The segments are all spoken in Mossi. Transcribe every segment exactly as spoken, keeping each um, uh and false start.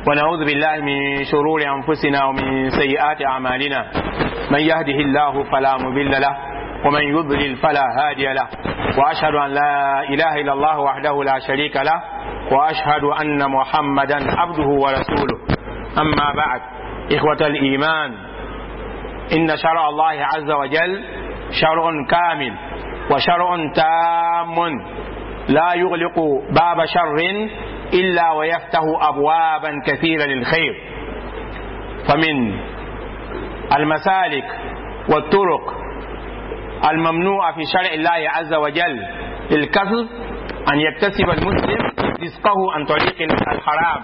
ونعوذ بالله من شرور أنفسنا ومن سيئات أعمالنا. من يهده الله فلا مضل له ومن يضلل فلا هادي له، وأشهد أن لا إله إلا الله وحده لا شريك له، وأشهد أن محمدا عبده ورسوله. أما بعد، إخوة الإيمان، إن شرع الله عز وجل شرع كامل وشرع تام، لا يغلق باب شر إلا ويفتح أبوابا كثيرة للخير. فمن المسالك والطرق الممنوعة في شرع الله عز وجل للكسب أن يكتسب المسلم رزقه عن طريق الحرام،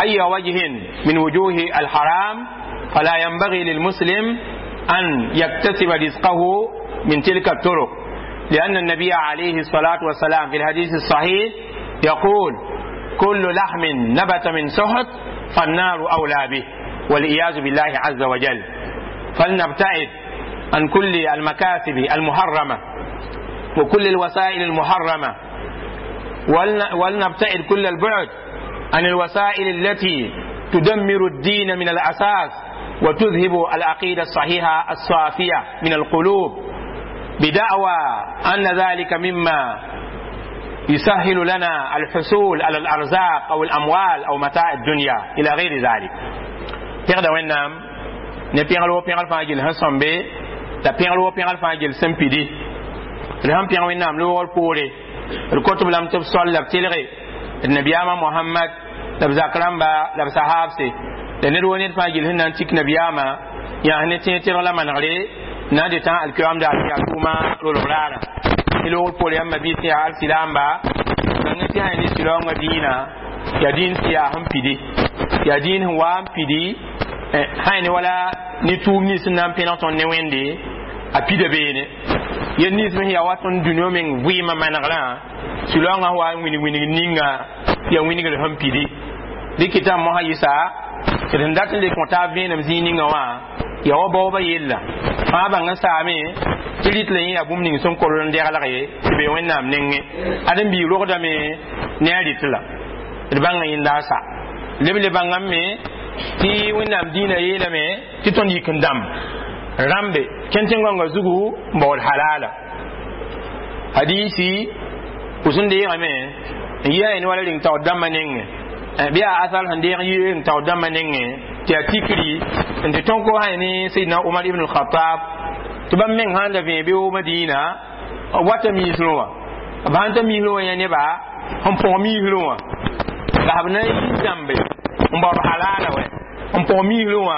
أي وجه من وجوه الحرام، فلا ينبغي للمسلم أن يكتسب رزقه من تلك الطرق، لأن النبي عليه الصلاة والسلام في الحديث الصحيح يقول: كل لحم نبت من سحت فالنار أولى به، والعياذ بالله عز وجل. فلنبتعد عن كل المكاسب المحرمة وكل الوسائل المحرمة، ولنبتعد كل البعد عن الوسائل التي تدمر الدين من الأساس وتذهب العقيدة الصحيحة الصافية من القلوب، بدعوى أن ذلك مما يسهل لنا الحصول على الأرزاق أو الأموال أو متاع الدنيا إلى غير ذلك. Pẽgda Wẽnnaam ne pẽgl wo pẽgl fãa gill sẽn sõmbe, la pẽgl wo pẽgl fãa gill sẽn pidi. D sẽn pẽg Wẽnnaam loogr poore, d kot b lame tɩ b sol la b telge d nabiyaamã Mohamad, la b zak rãmba, la b sahaabse, la ned wo ned fãa gill sẽn na n tik nabiyaamã yãas ne tẽeg tɩrg la manegre na n dɩ tã alkiyoam daar tɩ yaa tʋʋma rolg raarã. Tɩ loogr poore, yãmba biis tɩ yaa alsilaamba, bãng tɩ sã ne sɩraoongã dĩinã yaa dĩin sẽn yaa sẽn pidi, yaa dĩin sẽn wa n pidi sã ne wala ne tʋʋm nins sẽn na n pẽneg tõnd ne Wẽnde a pida beene yel nins me sẽn yaa wa tõnd dũniyã meng vɩɩmã manegrã. Sũ-laoongã sẽn wa n winig winig ninga yaa wingr sẽn pidi rɩkɩta mosã yɩsa tɩ d sẽn dat n le kõ taab vẽenem zĩig ninga wã yaa wa baoobã yella fãa bãng n saame tɩ rɩt la yẽ yaa bũmb ning sẽn kord n deglg ye tɩ be Wẽnnaam nengẽ ãdem-biig rogdame ne a rɩt la d bãnga yẽnda a sa leb le bãngame me tɩ Wẽnnaam dĩinã yeelame tɩ tõnd yik n dãmb rãmbe kẽn tẽn-gãngã zugu n baood halala. Hadisi pʋs n deegame n yi a ne wala reng taoor dãmbã nengẽ, bɩ yaa asal sẽn deeg yi reng taoor dãmbã nengẽ tɩ yaa tikri n tɩ tõn ko sã ne Sayyidina Umar ibn al-Khattab, tɩ bãmb meng sãn da vẽe beoog Madina wata miisrẽ wã, b sãn ta miisrẽ wã yã neba sẽn põg miisrẽ wã la b na n yi dãmbe n baood halala wɛ n põg miisrẽ wã.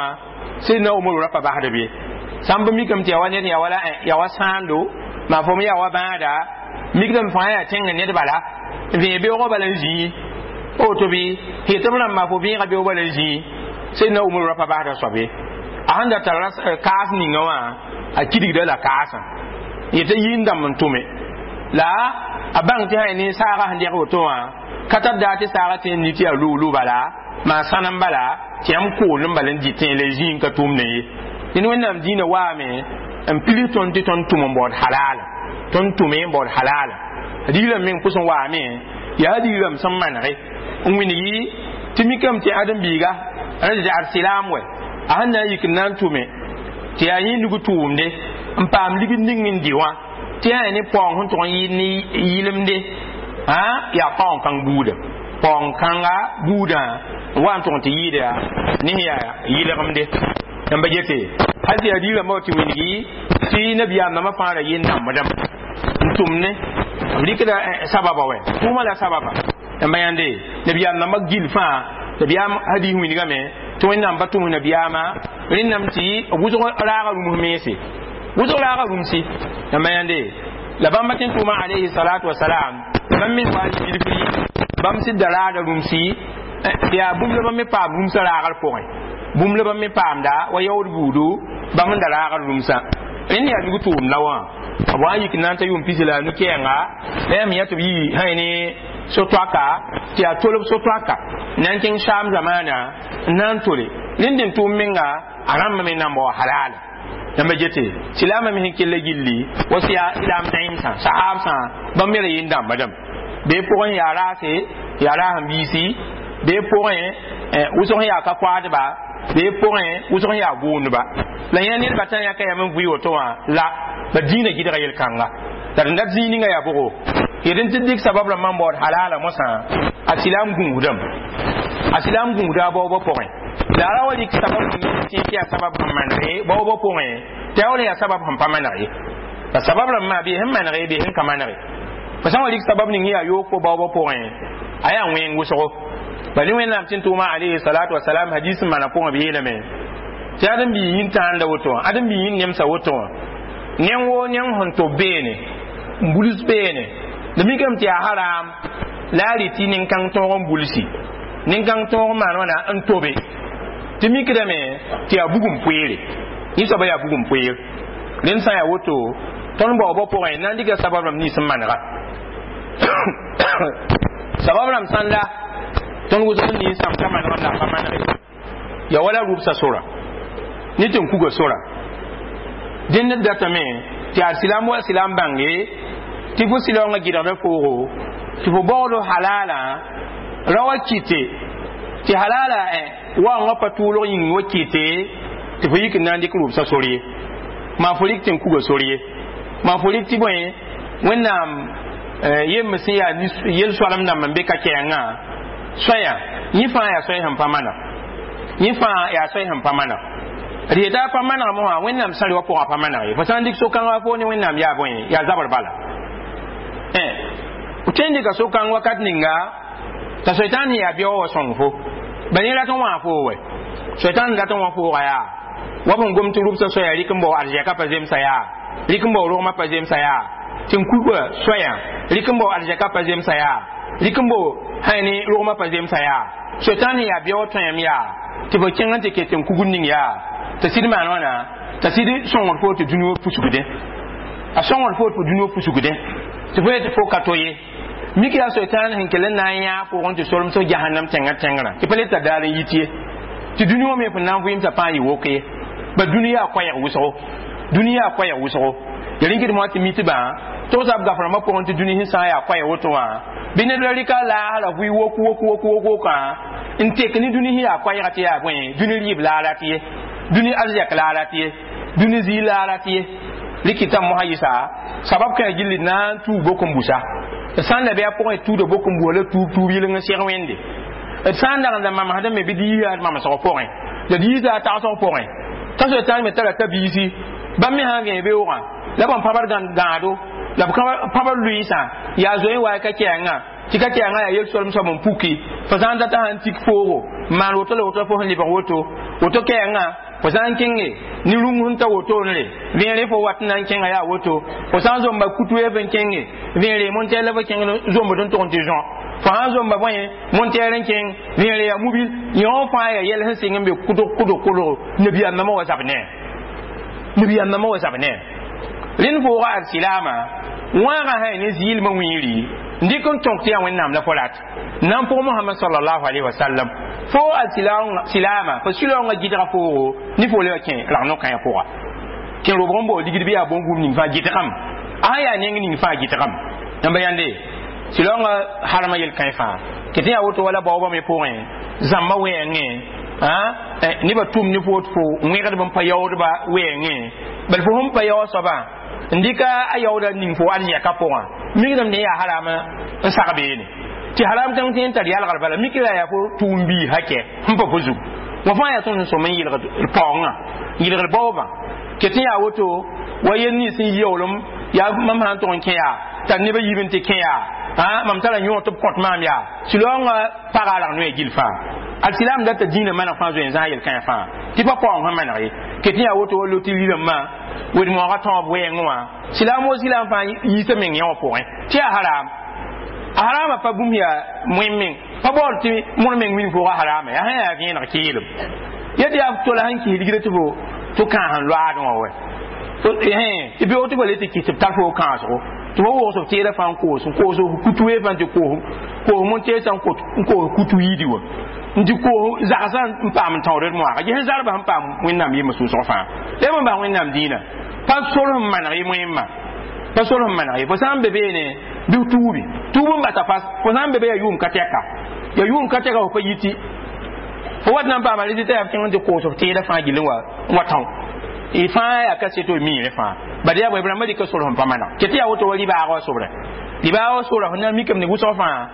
Sayyidina Umar ra pa basd be sãn b mikame tɩ yaa wa ned yaa wala yaa wa sãando maa fo me yaa wa bãada mikdame fãa yaa tẽngã ned bala n vẽe beoogã bala n zĩi woto bɩ tɩ b rãmba fo vẽega beoog bala n zĩi. Sayyidina Umar ra pa basda soab ye, a sẽn da tara kaas ninga wã a kidgda la kaasã yetɩ yi n dãmb n tʋme la a bãng tɩ sã ne saaga sẽn deg woto wã ka tar daa tɩ saaga tẽ n ni tɩ yaa luulu bala maa sãnem bala tɩ yãmb kool n bala n dɩ tẽ la zĩig n ka tʋʋmdẽ ye. Dẽnd Wẽnnaam dĩinã waame n pilis tõnd tɩ tõnd tʋm n baood halala, tõnd tʋme n baood halala. Digrame meng pʋs n waame yaa digrame sẽn manege n wilgi tɩ mikame tɩ ãdem-biiga ra zagd sɩlaam wɛ a sẽn na n yik n na n tʋme tɩ yaa yẽ nug tʋʋmde n paam ligd ning n dɩ wã tɩ yaa ne paoong sẽn tʋg n yɩ ne yɩlemde yaa paoong kãng buuda, paoong kãnga buudã n wa n tʋg n tɩ yɩɩda ne sẽn yaa yɩlgemde. Yãmba gete hal tɩ yaa digrãmbã tɩ wilgi tɩ nabiyaam nambã fãa ra yɩ n dãmbdame n tʋm ne b rɩkda sababa wɛ tʋʋmã la sababa. Yãmba yãnde nabiyaam nambã gill fãa nabiyaam hadis wilgame tɩ Wẽnnaam pa tʋms nabiyaamã rẽndame tɩ wʋsg raaga rũms mense, wʋsg raaga rũmsi. Yãmba yãnde la bãmba tẽn tʋʋmã alayhi salatu wasalam bãmb me wa bilfri bãmb sɩd da raada rũmsi tɩ yaa bũmb la bãmb me paam rũmsã raagr pʋgẽ, bũmb la bãmb me paamda wa yaood buudu bãmb n da raagr rũmsã. Rẽnd yaa nug tʋʋmd la wã b wa n yik n na n ta yʋʋm pis la a nu-kɛɛnga la yãmb yã tɩ b yi sã ne so-toaka tɩ yaa tolb so-toaka n na n kẽng saam zamaana n na n tole rẽnd n tʋʋm menga a rãmba me nan bao halala. Yãmba gete silaamã me sẽn kell gilli wa silaam dãeemsã sahaabsã bãmb me ra yɩ n dãmbdame bee pʋgẽ yaa raase yaa raasẽn biisi bee pʋgẽ Wʋsg sẽn yaa ka koaadba bee pʋgẽ wʋsg sẽn yaa gʋʋndba la yẽ nedbã tã yãka yam n vʋɩ woto wã la ba dĩinã gɩdga yel-kãnga la d dat zĩig ninga yaa bʋgo yed n tɩ dɩk sabab rãmbã n baood halala mosã a silaam gũusdame a silaam gũusda a baoobã pʋgẽ la a ra wa rɩk sabab tɩ tɩ yaa sabab sẽn maneg baoobã pʋgẽ tɩ a wala yaa sabab sẽn pa maneg ye la sabab rãmbã bee sẽn maneg bee sẽn ka maneg fa sã n wa rɩk sabab ning yaa yoog fo baoobã pʋgẽ a yaa wẽng wʋsgo bal wẽnnaam tɩ n tʋʋma alayhi salatu wasalam hadis n maana pʋgẽ b yeelame tɩ ad n bii yĩn tãanda woto wã ad n bii yĩn nemsa woto wã neng woo neng sẽn tob beene n buls beene la mikame tɩ yaa haram la a rɩ tɩ nin-kãng tõog n bulsi nin-kãng tõog n maan wãna n tobe tɩ mikdame tɩ yaa bugum poeere yẽ soaba yaa bugum poeer rẽnd sã n yaa woto tõnd baoobã pʋgẽ na n dɩka sabab rãmb nins n manega sabab rãmb sãn la tõnd wʋsg n ninsãm ka manegame la a pa manege ya wala rʋbsa sora ne tɩ n kuga sora dẽnd d datame tɩ yaa silaam wa silaam bãnge tɩ fo silaoongã gɩdgda foogo tɩ fo baood halala ra wa kɩte tɩ halala waoongã pa tʋʋlg yĩng wa kɩte tɩ fo yik n na n dɩk rʋbsa sor ye maa fo rɩk tɩ n kuga sor ye maa fo rɩk tɩ bõe wẽnnaam yemb sẽn yaa yel-soalem dãmb n be ka kɛɛngã soaya yẽ fãa yaa soay sẽn pa maneg yẽ fãa yaa soay sẽn pa maneg d yeta a pa manegame wã wẽnnaam sã-rɩ wã pʋgã pa maneg ye fo sã n dɩk so-kãngã fo ne wẽnnaam yaa bõe yaa zabr bala tõe n dɩka so-kãng wakat ninga t'a soitan sẽn yaa bɩa wa sõng fo ba ne rat n wã fo wɛ soitan n rat n wã fooga yaa wa b n gom tɩ rʋbsã soaya rɩk n bao arzɛka pa zemsa yaa rɩk n bao rogmã pa zemsa yaa tɩ n kuga soaya rɩk n bao arzɛka pa zemsa yaa rɩk n bao hãy rogmã pa zemsa yaa soitan sẽn yaa bɩa wa tõem yaa tɩ fo kẽng n tɩ ket n kugr ning yaa t'a sɩd maan wãna t'a sɩd sõngd fo tɩ dũni wã pusgdẽ a sõngd fo tɩ dũni wã pusgdẽ tɩ fo yetɩ fo ka to ye mik yaa soitan sẽn kell n na n yã pʋgẽ tɩ solem sẽn jahannam tẽngã tẽngrã tɩ pa le tar daar n yit ye tɩ dũni wã me fõn na n vɩɩmsã pãa yɩ wok ye ba dũni yaa koɛɛg wʋsgo dũni yaa koɛɛg wʋsgo ya rĩnkd moa tɩ mitbã togsa b gaf rãmbã pʋgẽ tɩ dũni sẽn sã n yaa koɛɛg woto wã bɩ ned la rɩka laasra vʋɩ wok wok wok wok wokã n tek ne dũni sẽn yaa koɛɛga tɩ yaa bõe dũni rɩɩb la a rat ye dũni arzɛk la a rat ye dũni zĩig la a rat ye rɩkɩta mosã yɩsa sabab kã gilli na n tuug bok n busa d sã n la bɩ a pʋgẽ tuuda bok n busa la tuub tuub yɩleng n seg wẽnde d sã n dag n da mamsdame bɩ d yiisa d mamsg pʋgẽ la d yiisa a tagsg pʋgẽ t'a soetãn me tara ta biisi bãmb me sã n vẽ beoogã la bõn pãbr gãado la b pãbr lʋɩɩsã yaa zoe wa ka kɛɛngã tɩ ka kɛɛngã yaa yel-soalem soab n puki fo sã n data sã n tik foogo n maan woto la woto fo sẽn lebg woto woto kɛɛngã fo sã n kẽnge ne rũng sẽn ta wotone vẽere fo wat n na n kẽnga yaa woto fo sã n zomba kutu f n kẽnge vẽere montɛr la fo kẽng zombd n tʋg n tɩ zõ fo sã n zomba bõe montɛr n kẽng vẽere yaa mubil yõ fãa yaa yɛl sẽn sɩng n be kʋdg kʋdg kʋdg nabiyaam nambã wa zab ne nabiyaam nambã wa zab ne rẽnd fooga ad silaama wãagã sã ne zɩɩlmã wĩiri n dɩk n tõk tɩ yaa wẽnnaam la fo rat n na n pʋg mohamad salallahu alayhi wasallam fo ad silaama fo silaoongã gɩdga foogo ne fo le wa kẽ rag no-kãyã pʋga kẽ robg n bao ligd bɩ yaa bõn-gũub ning fãa gɩdgame a sã yaa neng ning fãa gɩdgame yãmba yãnde silaoongã harma yel-kãe fãa kɩ tɩ yaa woto wala baoobã me pʋgẽ zãmba wɛɛngẽ nebã tʋm ne fo tɩ fo wẽgdb n pa yaoodba wɛɛngẽ bal fo sẽn pa yaoog soabã n dɩka a yaooda ning fo arzɛka pʋgã mikdame ne yaa haram n sag beene tɩ haram kãng tɩ n tar yalgr bala mikra yaa fo tʋʋm bii hakɛ sẽn pa fo zug wã fãa yaa tõnd sẽn sõm n yɩlgd paoongã yɩlgd baoobã kɩ tɩ yaa woto wa yel nins sẽn yaoolem yaa mam sã n tʋg n kẽ yaa tar nebã yib n tɩ kẽ yaa mam tara yõ tɩ b kõt maam yaa silaoongã paga rag noe gill fãa al silaam data dĩinã maneg fãa zoe n zãag yel-kãe fãa tɩ pa paoong sẽn maneg ye kɩ tɩ yaa woto wa loti rɩrãmbã wed-moogã tõog wɛɛngẽ wã silaam wo silaam fãa yiisa meng yã wã pʋgẽ tɩ yaa haram a harama pa bũmb yaa moẽ meng pa baood tɩ mõr meng wilg fooga harama yaa sã yaa vẽeneg keelem ya tɩ yaa tola sẽn kis ligda tɩ fo tɩ kãas n loaadẽ wã wɛ tɩ beoog tɩ fa le tɩ kis tɩ b tar fo kãasgo tɩ fo wogs b teeda fãa n koos n koos kutu wee fãa tɩ koos koos montɛɛsã n koos kutu yiidi wã n tɩ koos zagsã n paam n tãood d moaga ges zarbã sẽn paam wẽnnaam yemã sʋʋsg fãa la b n bas wẽnnaam dĩinã pa sor sẽn maneg ye moẽmã pa sor sẽn maneg ye fo sã n be beene bɩ tuubi tuub n basa fas fo sã n be be yaa yʋʋm ka tɛka yaa yʋʋm ka tɛka fo pa yiti Fo wat na n paama rɩ t'a yaa kẽng n tɩ koos f teeda fãa gill n wa n wa tão y fãa yaa kaseto y miime fãa bad yaa bõe b rãmbã rɩka sor sẽn pa maneg ket yaa woto wa rɩbaagã wã sobrẽ rɩbaagã wã sora fo na n mikame ne wʋsg fãa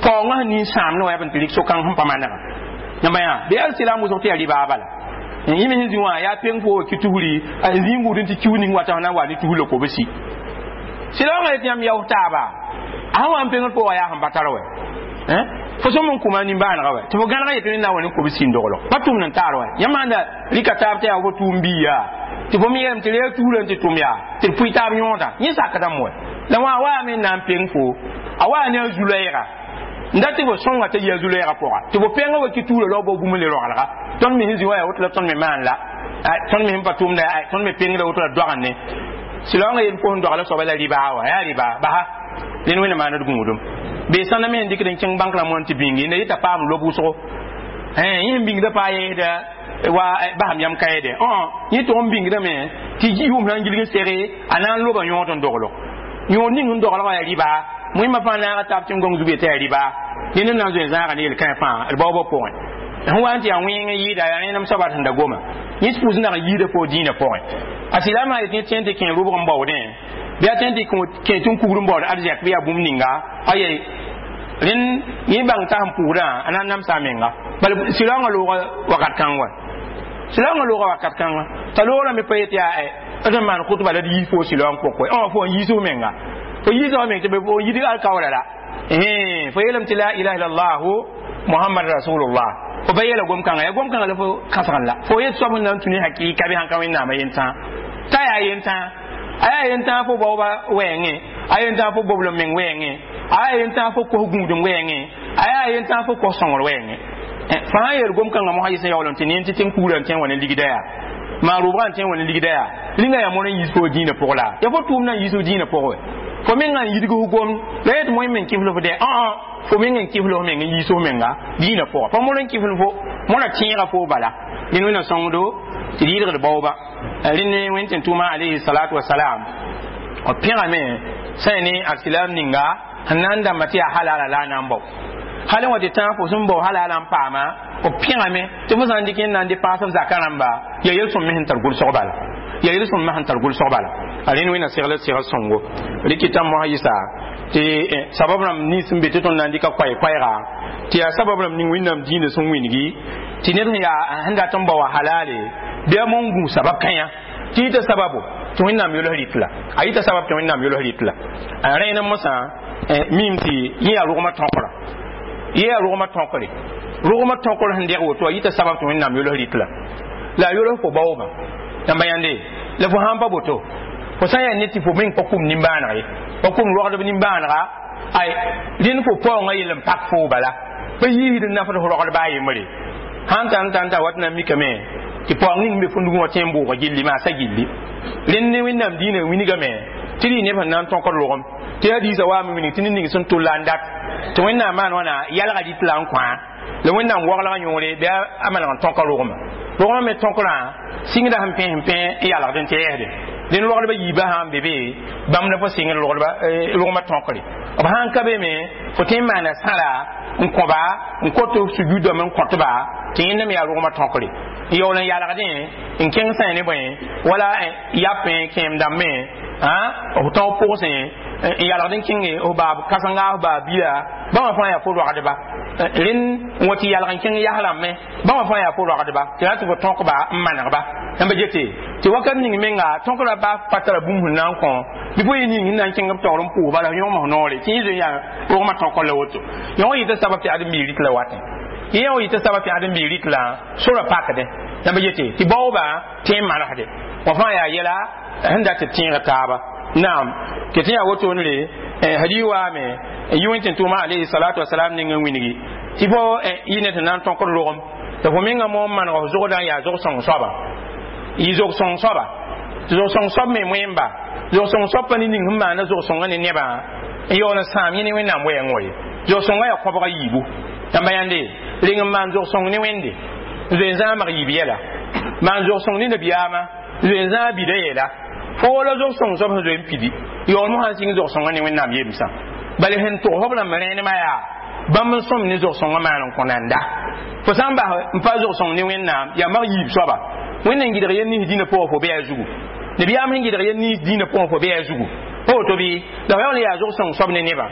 paoongã sẽn nin sãamd wã yaa b n tɩ rɩk so-kãng sẽn pa manegã yãmba yã bɩ al silaam wʋsg tɩ yaa rɩbaag bala yẽ me sẽn zĩ wã yaa peng fo wa ki tusri n zĩ n gũud n tɩ kius ning wata sẽn na n wa ne tus la kobsi silaamã yetɩ yãmb yaoos taaba a sẽn wa n pengd pʋgã yaa sẽn pa tar wɛ fo sõm n kʋma nimbãanega wɛ tɩ fo gãneg yetɩ ned na n wa ne kobsi n doglo pa tʋmd n taar wɛ yãmb sãn da rɩka taab tɩ yaa fo tʋʋm biiya tɩ fo me yeelame tɩ reeg tusrã tɩ tʋm yaa tɩ d pʋɩ taab yõoda yẽ sakdame wɛ la wã waame n na n peng fo a waa ne a zu-loɛɛga n dat tɩ fo sõnga t'a yi a zu-loɛɛga pʋga tɩ fo pẽngã wa ki tuurã lao bao bũmb le roglga tõnd me sẽn zĩ wã yaa woto la tõnd me maan la tõnd me sẽn pa tʋmda tõnd me pengda woto la doagẽ silaoongã yel fo sẽn dogla soaba la rɩbaa wã yaa rɩbaa basa dẽn wẽnna maand d gũudum bee sãnda me sẽn dɩkd n kẽng bãnk rãmb wã n tɩ bĩngi nda yeta paam lob wʋsgo yẽ sẽn bĩngda paa yeesda wa basam yam kaeede yẽ tʋg n bĩngdame tɩ yʋʋm sã n gilg n sege a na n loba yõod n doglo yõod ning sẽn doglgã yaa rɩbaa moẽmã fãa naaga taab tɩ n gõng zug yetɩ yaa rɩbaa dẽnd n na n zoe zãaga ne yel-kãe fãa d baoobã pʋgẽ sẽn wa n tɩ yaa wẽng n yɩɩda yaa rẽnem soaba sẽn da goma yẽ pʋʋs n dag n yiida fo dĩinã pʋgẽ a silaamã yetɩ yẽ tẽ tɩ kẽ rʋbg n baoodẽ bɩ a tẽ tɩ kẽ tɩ n kugr n baood arzɛk bɩ yaa bũmb ninga aye rẽnd yẽ bãng t'a sẽn pʋʋsdã a na n namsa a menga bala silaoongã looga wakat kãng wa silaoongã looga wakat kãnga t'a loogrã me pa yet yaa d sẽn maan kʋtba la d yiis fo silaoong pʋk wɛ fo n yiis f menga fo yiisa wa meng tɩ fo yidg alkaoora la fo yeelame tɩ la ilaha illallah muhammad rasulullah fo pa yeela gom-kãngã yaa gom-kãngã la fo kãsgn la fo yet soab sẽn na n tũ ne hakɩɩka bɩ sãn ka wẽnnaamã yentã t'a yaa yentã a yaa yentã fo baooba wɛɛngẽ a yentã fo boblem meng wɛɛngẽ a yaa yentã fo kos gũudum wɛɛngẽ a yaa yentã fo kos sõngr wɛɛngẽ fãa yeel gom-kãngã mosã yɩs n yaool n tɩ ne tɩ tẽn kuurã n tẽ n wa ne ligda yaa maan rʋʋbgã n tẽ n wa ne ligda yaa rĩngã yaa moar n yiis fo dĩinã pʋg la yaa fo tʋʋm na n yiis f dĩinã pʋgẽ wɛ fo mengã n yidg f gom la yet moẽ meng kɩfl f dɛ ã fo meng n kɩfl f meng n yiis f menga dĩinã pʋga pa moar n kɩfl fo moarã tẽega fo bala dẽnd wẽnna sõngdo tɩ d yɩlgd baooba rẽnd wẽn tɩ tʋʋma alayhi salatu wasalam b pẽgame sã ne alsilam ninga sẽn na n dãmba tɩ yaa halala la a na n bao hal n wa tɩ tãag fo sẽn bao halala n paama b pẽgame tɩ fo sã n dɩk n na n dɩ paas f zakã rãmba yaa yel-sõm me sẽn tar gʋlsg bala yaa yel-sõm me sẽn tar gʋlsg bala a rẽnd wẽnna segl segl sõngo rɩkɩtã mosã yɩsa tɩ sabab rãmb nins sẽn be tɩ tõnd na n dɩka koɛɛ-koɛɛga tɩ yaa sabab rãmb ning wẽnnaam dĩinã sẽn wĩngi tɩ ned sẽn yaa sẽn dat n bao wã halale bɩ a mon gũ sabab kãyã tɩ yita sababo tɩ wẽnnaam yols rɩt la a yita sabab tɩ wẽnnaam yols rɩt la a rẽen mosã mim tɩ yẽ yaa rogmã tõkra yẽ yaa rogmã tõkre rogmã tõkr sẽn deg woto a yita sabab tɩ wẽnnaam yols rɩt la la a yols fo baoobã yãmba yãnde la fo sãn pa boto fo sã n yaa ned tɩ fo meng pa kum nimbãaneg ye pa kum rogdb nimbãanega ay rẽnd fo paoongã yell n pak foo bala pa yiisd n nafd f rogdba a yembre sãn tar n tar n tar wat na n mikame tɩ paoong ning be fo nugẽ wã tẽ n bʋʋga gilli maasa gilli rẽnd ne wẽnnaam dĩinã wingame tɩ rɩ neb sẽn na n tõkd rogem tɩ hadiisã waame wing tɩ ned ning sẽn tʋlla n dat tɩ wẽnnaam maan wãna yalga rɩt la n kõa la wẽnnaam waglgã yõore bɩ a maneg n tõka rogmã rogmã me tõkrã sɩngda sẽn pẽ sẽn pẽ n yalgd n tɛɛsde dẽn rogdbã yiibã sã n be be bãmb la fo sɩngd rogdba rogmã tõkre b sãn ka be me fo tõe n maana sãra n kõba n kot sujudame n kõtba tɩ yẽnda me yaa rogmã tõkre n yaool n yalgdẽ n kẽng sã ne bõe wala yapẽ kẽem dãmbẽ f tão pʋgsẽ n yalgd n kẽnge f baab kãsenga f baab bila bãmba fãa yaa fo rogdba rẽnd n wa tɩ yalg n kẽng yas rãmbẽ bãmba fãa yaa fo rogdba tɩ na tɩ fo tõkba n manegba yãmba gete tɩ wakat ning menga tõkra ba pa tara bũmb sẽn na n kõ bɩ fo yɩ ning sẽn na n kẽng b taoor n pʋʋs bala yõgem f noore tɩ yẽ zoe yaa rogmã tõkr la woto yõ wa yɩta sabab tɩ ãdem-biig rɩt la watẽ yẽ wa yɩta sabab tɩ ãdem-biig rɩt la sora pakdẽ yãmba gete tɩ baoobã tẽ n manesde wã fãa yaa yɛla sẽn dat tɩ tẽeg taaba naam tɩ tɩ yaa wotone hadi waame yi wẽn tɩ tʋʋma alayhi salatu wasalam ning n wĩngi tɩ fo yɩ ne tɩ na n tõkd rogem tɩ fo menga mo n maneg f zogdã n yaa zog-sõng soaba yɩ zog-sõng soaba tɩ zog-sõng soab me moẽmba zog-sõng soab pa ne ning sẽn maana zog-sõngã ne nebã n yaool n sãam yẽ ne wẽnnaam wɛɛng wa ye zog-sõngã yaa kõbga yiibu yãmba yãnde reng n maan zog-sõng ne wẽnde n zoe n zãamg yiib yɛla maan zog-sõng ne nabiyaamã n zoe n zãag bida yɛla fo la zog-sõng soab sẽn zoe n pidi yaool mosã n sɩng zog-sõngã ne wẽnnaam yemsã bala sẽn tʋgs b rãmb rẽenemã yaa Bãmb n sõm ne zog-sõngã maan n kõ nanda. Fo sã n bas n pa zog-sõng ne Wẽnnaam, yaa mag yiib soaba. Wẽnd n gɩdg yel nins dĩnã pʋgã fo bɩ a zugu. Nabiyaam sẽn gɩdg yel nins dĩnã pʋgã fo bɩ a zugu. Pa woto bɩ la fo yaool n yaa zog-sõng soab ne nebã.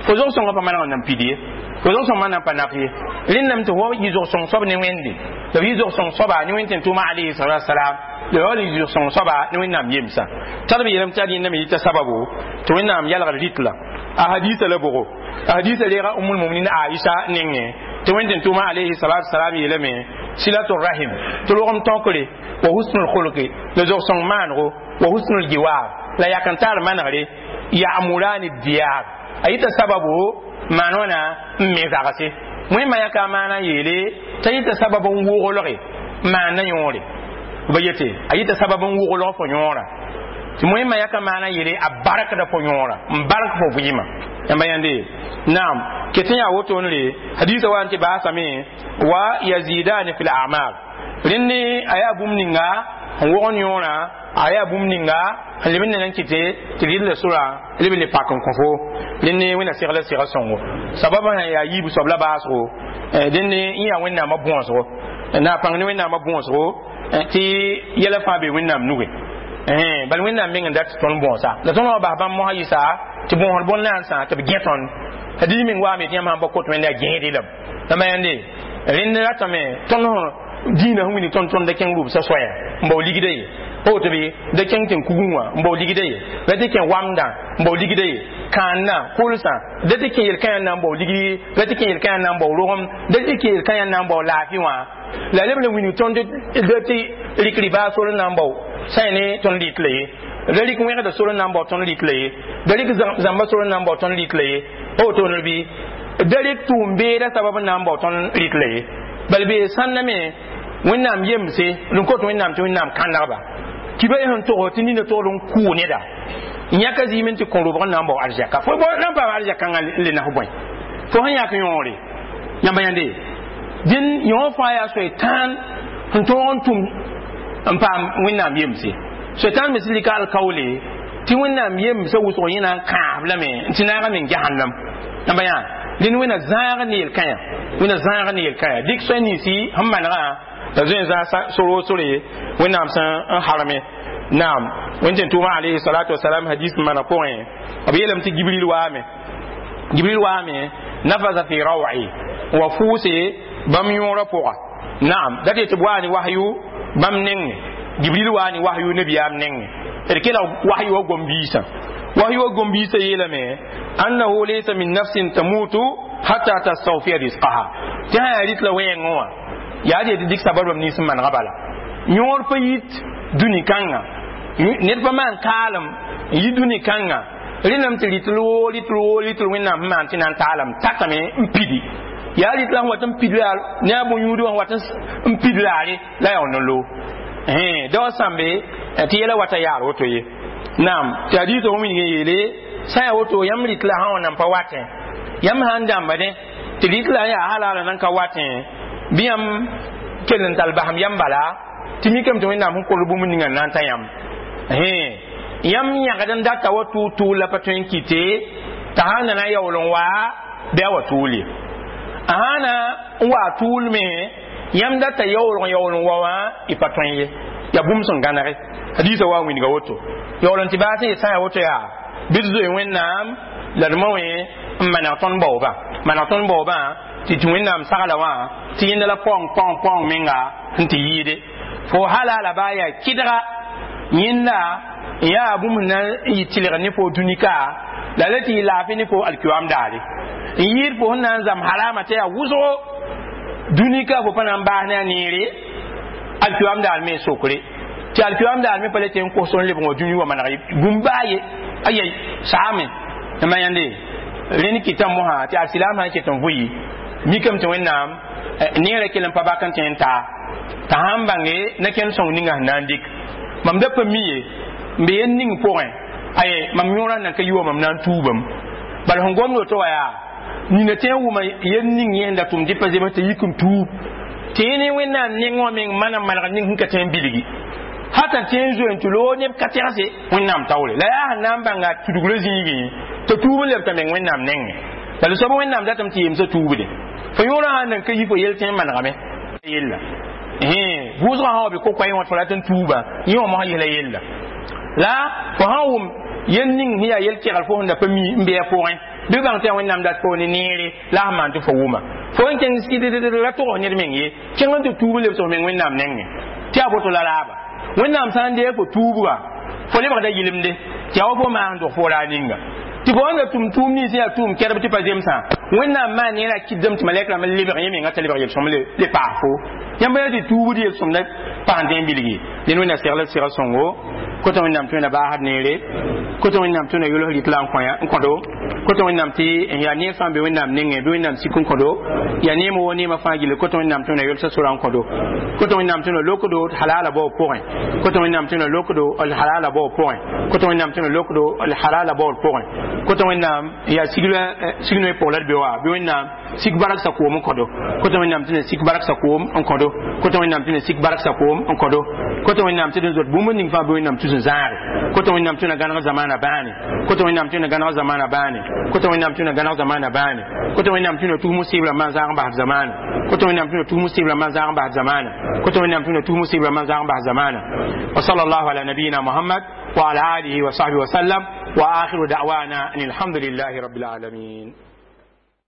Fo zog-sõngã pa maneg n nan pid ye. Fo zog-sõng nan pa naf ye. Rẽndame tɩ fo yɩ zog-sõng soab ne Wẽnde. La f yɩ zog-sõng soaba ne Wẽnd tẽn-tʋʋma alayhi salatu wasalam. La yaool n yɩ zog-sõng soaba ne Wẽnnaam yemsã. Tar b yeelame tɩ ad yẽndame yɩta sababu tɩ Wẽnnaam yalgd rɩtla. A hadisa la bʋgo. A hadisa reega Ummul Muminin Aisha nengẽ tɩ Wẽnd tẽn-tʋʋma alayhi salatu wasalam yeelame silatu rahim tɩ rogem tõkre wa husnul khulqi la zog-sõng maanego wa husnul jiwar la yak n tar manegre ya'murani diyar a yita sababu maan wãna n me zagse. Wẽnnaam yãka a maana n yeele t'a yita sabab n woglge maanda yõore. B yete a yita sabab n woglg fo yõora. Tɩ wẽnnaam yãka maana n yeele a barkda fo yõora n bark fo vɩɩmã. Yãmba yãnde naam ket n yaa wotone hadisa wa n tɩ baasame wa yazidani fi l-a'mal. Rẽnd a yaa bũmb ninga n wogn yõorã, a yaa bũmb ninga n leb n na n kɩte tɩ rɩl la sora leb n le pak n kõ fo. Rẽnd Wẽnna segla sega sõngo. Sababã sã yaa yiib soab la baasgo, dẽnd n yaa Wẽnnaamã bõosgo na pãng ne Wẽnnaamã bõosgo tɩ yɛla fãa be Wẽnnaam nugẽ. Bal Wẽnnaam meng n dat tɩ tõnd bõosa. La tõnd wã bas bãmb mosã yɩsa tɩ bõosd bõn-nansã tɩ b gẽ tõnd. Hadis meng waame tɩ yãmb sãn pa kot Wẽnde a gẽede lame. La ma yãnde rẽnd ratame tõnd dĩinã sẽn wilg tõnd tõnd da kẽng rʋbsã soaya n bao ligda ye. Pa woto bɩ da kẽng tẽn kugẽ wã n bao ligda ye. Da tɩ kẽ wamdã n bao ligda ye. Kãandã kolsã da tɩ kẽ yel-kãyã na n bao ligd, da tɩ kẽ yel-kãyã na n bao rogem, da tɩ kẽ yel-kãyã na n bao laafɩ wã. La leb la wilg tõnd da tɩ rɩk ribaa sor n na n bao sã y ne tõnd rɩt la ye. Da rɩk wẽgda sor n na n bao tõnd rɩt la ye. Da rɩk zãmba sor n na n bao tõnd rɩt la ye. Pa woto bɩ da rɩk tʋʋm-beeda sabab n na n bao tõnd rɩt la ye. Bal bee sãnda me Wẽnnaam yemse n kot Wẽnnaam tɩ Wẽnnaam kãnegba. Kiba y sẽn tog tɩ nina togd n kʋʋ neda. N yãka zɩɩm n tɩ kõ robg n na n bao arzɛka. Fo na n paam arzɛkãngã n le nas bõe. Fo sẽn yãk yõore. Yãmba yãnde. Dẽn yõ fãa yaa soetãan sẽn tõog n tʋm n paam Wẽnnaam yemse. Soetãan me sẽn lika alkaoole tɩ Wẽnnaam yemsã wʋsg yẽ na n kãab lame n tɩ naagame n jahannam. Yãmba yã dẽnd Wẽnna zãag ne yel-kãyã. Wẽnna zãag ne yel-kãyã. Dɩk soay ninsi sẽn manegã la zoe n zãag soro sore Wẽnnaam sẽn n harme. Naam Wẽnd tẽn-tʋʋmã alayhi salatu wasalam hadis n mana pʋgẽ b yeelame tɩ Gibril waame. Gibril waame nafasa fi raw'i wa fʋʋse bãmb yõorã pʋga. Naam dat tɩ b waa ne wahyu bãmb nengẽ. Gibril waa ne wahyu nabiyaam nengẽ. D kela wahyu wa gom-biisã. Wahyu wa gom-biisã yeelame annahu laysa min nafsin tamutu hatta tastawfiya rizqaha. Tɩ sã yaa rɩt la wɛɛngẽ wã yaa tɩ dɩk sabr bãmb nins n manega bala. Yõor pa yit dũni kãnga. Ned pa maan kaalem n yi dũni kãnga. Rẽndame tɩ rɩtl woo rɩtl woo rɩtl Wẽnnaam sẽn maan tɩ na n taalame tatame n pidi. Yaa rɩtl la sẽn wat n pid ne a bõn-yũud wã sẽn wat n pid laare la yaool n loog. Da wa sãmbe tɩ yɛla wata yaar woto ye. Naam tɩ hadiisã fo wilg n yeele sã yaa woto yãmb rɩtla sã wã nan pa watẽ. Yãmb sã n dãmbdẽ tɩ rɩtla yaa halala nan ka watẽ bɩ yãmb kell n tall basem yãmb bala tɩ mikame tɩ Wẽnnaam sẽn kor bũmb ninga n na n ta yãmb. Yãmb yãgd n data wa tʋʋg tʋʋl la pa tõe n kɩte t'a sã n na na yaool n waa bɩ a wa tʋʋl ye. A sã na n waa tʋʋl me yãmb data yaoolg n yaool n wa wã y pa tõe ye. Yaa bũmb sẽn gãnege. Hadiisã wa n wilga woto. Yaool n tɩ baas n yet sã n yaa woto yaa bɩ d zoe Wẽnnaam la d ma wẽ n maneg tõnd baoobã. Maneg tõnd baoobã tɩ tɩ Wẽnnaam sagla wã tɩ yẽnda la paoong paoong paoong menga sẽn tɩ yɩɩde. Fo halala baa yaa kɩdga yẽnda n yaa bũmb na n yɩ tɩlg ne fo dũnika la la tɩ yɩ laafɩ ne fo alkiyoam daare. N yɩɩd fo sẽn na n zãmb harama tɩ yaa wʋsgo dũnika fo pa na n baas ne a neere alkiyoam daar me sokre. Tɩ alkiyoam daar me pa le tɩ n kos n lebg wã dũni wã maneg bũmb baa ye ayai saame. Yãmba yãnde rẽnd kɩta mosã tɩ alsilaam sã n ket n vʋɩ mikame tɩ Wẽnnaam neerã kell n pa bak n tẽ n taa t'a sã n bãnge na-kẽnd sõng ninga sẽn na n dɩk. Mam da pa mi ye n be yel ning pʋgẽ aye mam yõorã nan ka yi wa mam na n tuubame. Bala sẽn gomd woto wã yaa nina tẽ n wʋma yel ning yẽ sẽn da tʋm dɩ pa zems tɩ yik n tuub tɩ yẽ ne Wẽnnaam neng wã meng mana maneg ning sẽn ka tẽ n bilgi. Hata tẽ n zoe n tɩ loog neb ka tɛgse Wẽnnaam taoore. La yaa sẽn na n bãnga tudgrã zĩigẽ t'a tuub n lebta meng Wẽnnaam nengẽ. Bala soab Wẽnnaam datame tɩ yemsã tuubde fo yõorã sãn nan ka yi fo yel tẽ n manegame yella vʋʋsgã sã wa be ko-koɛɛ wã tɩ fo rat n tuuba yẽ wã mosã yɩsla yella la fo sãn wʋm yel ning sẽn yaa yel-kegl fo sẽn da pa mi n bɩ a pʋgẽ bɩ bãng tɩ yaa Wẽnnaam dat fo ne neere la sẽn maan tɩ fo wʋma fo n kẽng sɩdd ra tʋgs ned meng ye kẽng n tɩ tuub n lebs f meng Wẽnnaam nengẽ tɩ yaa boto la raaba Wẽnnaam sã n deeg fo tuubga fo lebgda yɩlemde tɩ yaa wa fo maas n dog fo raar ninga tɩ fo wãnda tʋm tʋʋm nins yaa tʋʋm kɛrb tɩ pa zemsã Wẽnnaam maan neerã kɩdame tɩ malɛk rãmb n lebg yẽ menga t'a lebg yel-sõm le paas fo yãmb yaa tɩ tuubd yel-sõmda paas n tẽ n bilgi dẽn Wẽnna segl sega sõngo kota Wẽnnaam tɩ Wẽnna baasd neere kota Wẽnnaam tɩ Wẽnna yols rɩt la n kõdo kota Wẽnnaam tɩ yaa neer fãa be Wẽnnaam nengẽ bɩ Wẽnnaam sik n kõdo yaa neem wo neemã fãa gilli kota Wẽnnaam tɩ Wẽnna yolsa sora n kõdo kota Wẽnnaam tɩ Wẽnna lokdo d halala baoog pʋgẽ kota Wẽnnaam tɩ Wẽnna lokdo d halala baoog pʋgẽ kota Wẽnnaam tɩ Wẽnna lokdo d halala baood pʋgẽ kota Wẽnnaam yaa signoe pʋg la d be wa bɩ Wẽnnaam sik bark sa koom n kõdo kota Wẽnnaam tɩ sik bark sa koom n kõdo kota Wẽnnaam tɩ sik bark sa koom n kõdo kota Wẽnnaam tɩ d zot bũmb ning fãa bɩ Wẽnnaam tus n zãage kota Wẽnnaam tɩ Wẽnna gãneg zamaana bãane kota Wẽnnaam tɩ Wẽnna gãneg zamaana bãane kota Wẽnnaam tɩ Wẽnna gãneg zamaana bãane kota Wẽnnaam tɩ Wẽnna tus musibra maan zãag n bas zamaana kota Wẽnnaam tɩ Wẽnna tus musibra maan zãag n bas zamaana kota Wẽnnaam tɩ Wẽnna tus musibra maan zãag n bas zamaana wa sallallahu ala nabiyina Muhammad wa ala alihi wa sahbihi wa sallam wa akhiru da'wana an alhamdulillahi rabbil alamin.